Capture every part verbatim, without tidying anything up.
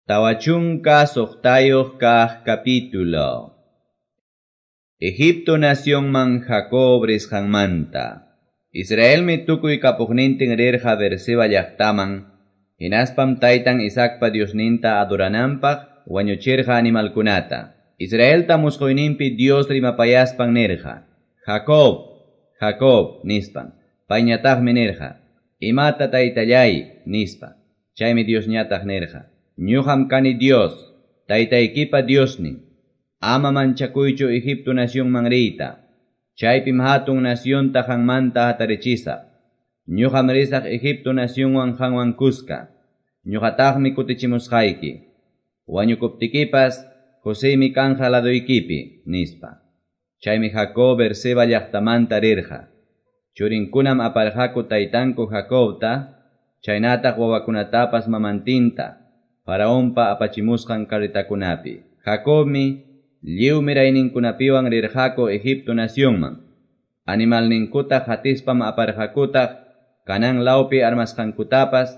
Tawa chunka suqtayuq kaq capítulo. Egipto nacionman Jacob risqanmanta. Israelmi tukuy kapuqnintin rirqa Beerseba llaqtaman, hinaspam taytan Isaacpa Diosninta adorananpaq wañuchirqa animalkunata. Israelta musquyninpi Dios rimapayaspan nirqa: Jacob, Jacob, nispan. Payñataqmi nirqa: Imata taytallay, nispa. Chaymi Diosñataq nirqa: Ñuqam kani Dios, taytaykipa Diosnin. Ama manchakuychu Egipto nacionman riyta. Chaypim hatun nacionta qanmanta hatarichisaq. Ñuqam risaq Egipto nacionwan qanwan kuska. Ñuqataqmi kutichimusqayki. Wañukuptikipas Joseymi kanja laduykipi, nispa. Chaymi Jacob Beerseba llaqtamanta rirqa. Churinkunam aparqaku taytanku Jacobta, chaynataq wawakunatapas mamantinta, Faraonpa apachimusqan carretakunapi. Jacobmi lliw mirayninkunapiwan rirqaku Egipto nacionman. Animalninkuta hatispam aparqakutaq Canaán lawpi armasqankutapas,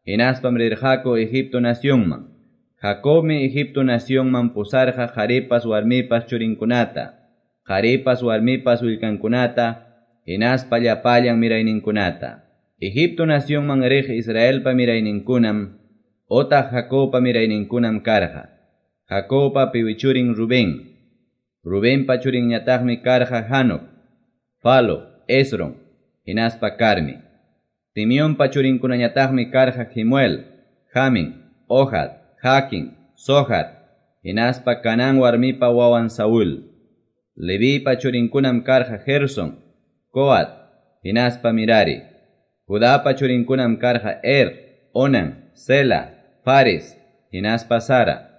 hinaspam rirqaku Egipto nacionman. Jacobmi Egipto nacionman pusarqa qharipas warmipas churinkunata, qharipas warmipas willkankunata, hinaspa llapallan mirayninkunata. Egipto nacionman riq Israelpa mirayninkunam otaq Jacobpa mirayninkunam karqa. Jacobpa piwi churin Rubén. Rubenpa churinñataqmi karqa Hanok, Falo, Esron, hinaspa Carmi. Simeonpa churinkunañataqmi karqa Jemuel, Jamin, Ohad, Jaquín, Zohar, hinaspa Canaán warmipa wawan Saúl. Levipa churinkunam karqa Gerson, Coat, hinaspa Mirari. Judapa churinkunam karqa Er, Onan, Sela, Fares, hinaspa Sara.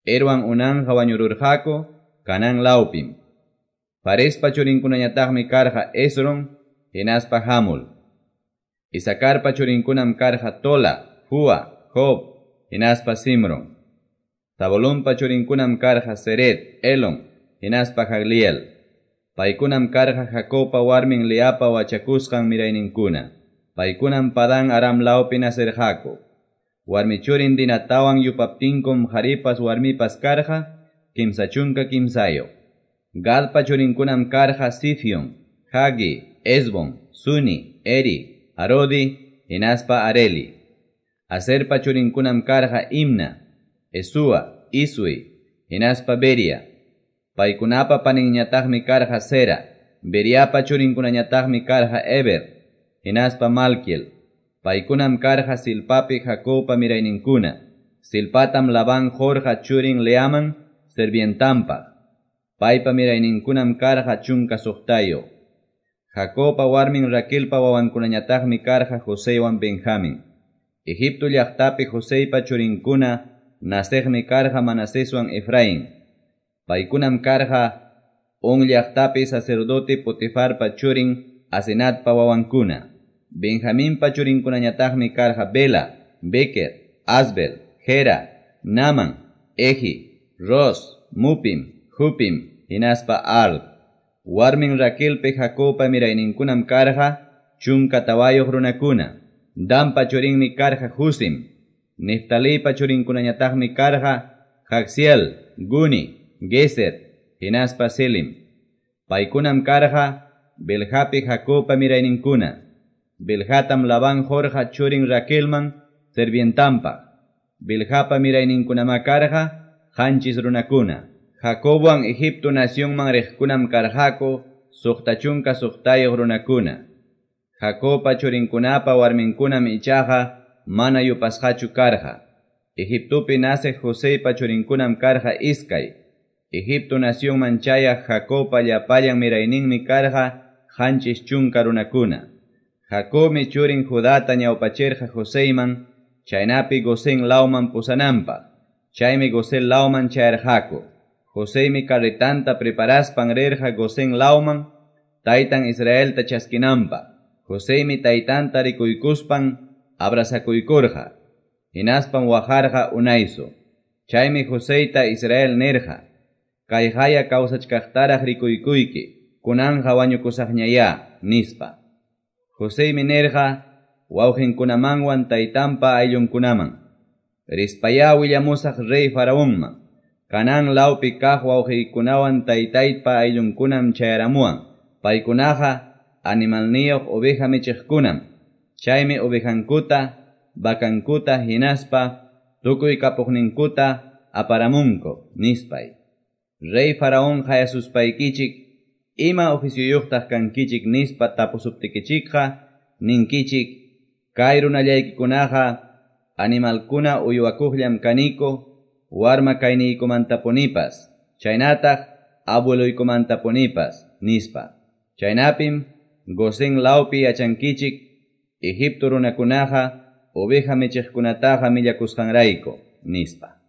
Erwan Onanja wañururqaku Canaán lawpim. Farespa churinkunañataqmi karqa Esron, hinaspa Hamul. Isacarpa churinkunam karqa Tola, Fua, Job, hinaspa Simron. Zabulonpa churinkunam karqa Sered, Elon, hinaspa Jagliel. Paykunam karqa Jacobpa warmin Leapa wachakusqan mirayninkuna. Paykunam Padán Aram lawpi nacerqaku. Warmi churin Dinatawan yupaptinkum qharipas warmipas karqa kimsa chunka kimsayuq. Gadpa churinkunam karqa Sifion, Hagi, Esbon, Suni, Eri, Arodi, hinaspa Areli. Aserpa churinkunam karqa Imna, Esua, Isui, hinaspa Beria. Paykunapa paninñataqmi karqa Sera. Beriapa churinkunañataqmi karqa Eber, hinaspa Malkiel. Paykunam karqa Silpapi Jacobpa mirayninkuna. Silpatam Labán qurqa churin Leaman sirvientanpaq. Paypa mirayninkunam karqa chunka suqtayuq. Jacobpa warmin Raquelpa wawankunañataqmi karqa Joseywan Benjamín. Egipto llaqtapi Joseypa churinkuna naceqmi karqa Manaseswan Efraín. Paykunam karqa On llaqtapi sacerdote Potifarpa churin Asenatpa wawankuna. Benjaminpa churinkunañataqmi karqa Bela, Beker, Asbel, Gera, Naman, Ehi, Ros, Mupim, Hupim, hinaspa Ard. Warmin Raquelpi Jacobpa mirayninkunam karqa chunka tawayuq runakuna. Danpa churinmi karqa Husim. Neftalipa churinkunañataqmi karqa Jaxiel, Guni, Geser, hinaspa Selim. Paykunam karqa Belhapi Jacobpa mirayninkuna. Belhatam Labán qurqa churin Raquelman sirvientanpaq. Bilhapa mirayninkunamá karqa qanchis runakuna. Jacobwan Egipto nacionman riqkunam karqaku suqta chunka suqtayuq runakuna. Jacobpa churinkunapa warminkunam ichaqa mana yupasqachu karqa. Egiptopi naceq Joseypa churinkunam karqa iskay. Egipto nacionman chayaq Jacobpa llapallan mirayninmi karqa qanchis chunka runakuna. Jacobmi churin Judata ñawpachirqa Joseyman, chaynapi Gosén lawman pusananpaq. Chaymi Gosén lawman chayarqaku. Joseymi carretanta preparaspan rirqa Gosén lawman, taytan Israelta chaskinanpaq. Joseymi taytanta rikuykuspan abrazakuykurqa. Hinaspam waqarqa unaysu. Chaymi Joseyta Israel nirqa: Kayqaya kawsachkaqtaraq rikuykuyki, kunanja wañukusaqñayá, nispa. Joseymi nirqa wawqinkunamanwan taytanpa ayllunkunaman: Rispayá willamusaq rey Faraonman. Canaán lawpi kaq wawqiykunawan taytaypa ayllunkunam chayaramuwan. Paykunaqa animalniyuq oveja michiqkunam. Chaymi ovejankuta, vacankuta hinaspa tukuy kapuqninkuta aparamunku, nispay. Rey Faraón qayasuspaykichik, ima oficioyuqtaq kankichik nispa tapusuptikichikqa, ninkichik, kay runallaykikunaqa animalkuna uywakuqllam kaniku, warma kayniykumantapunipas, chaynataq abueloykumantapunipas, nispa. Chaynapim Gosén lawpi yachankichik, Egipto runakunaqa oveja michiqkunataqa millakusqanrayku, nispa.